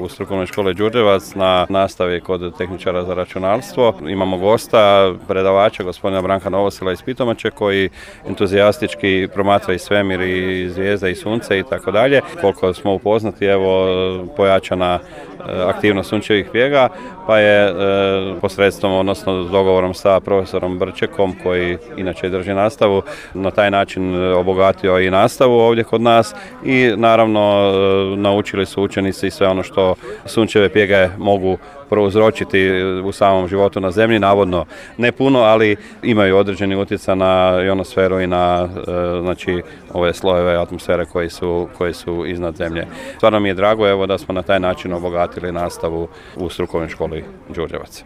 U strukovnoj školi Đurđevac na nastavi kod tehničara za računalstvo. Imamo gosta, predavača, gospodina Branka Novosila iz Pitomače, koji entuzijastički promatra i svemir i zvijezde i sunce i tako dalje. Koliko smo upoznati, evo, pojačana aktivnost sunčevih pjega, pa je posredstvom, odnosno dogovorom sa profesorom Brčekom, koji inače drži nastavu, na taj način obogatio i nastavu ovdje kod nas i naravno naučili su učenici i sve ono što sunčeve pjege mogu prouzročiti u samom životu na zemlji, navodno ne puno, ali imaju određeni utjecaj na ionosferu i na ove slojeve atmosfere koji su iznad zemlje. Stvarno mi je drago, evo, da smo na taj način obogatili nastavu u strukovnoj školi Đurđevac.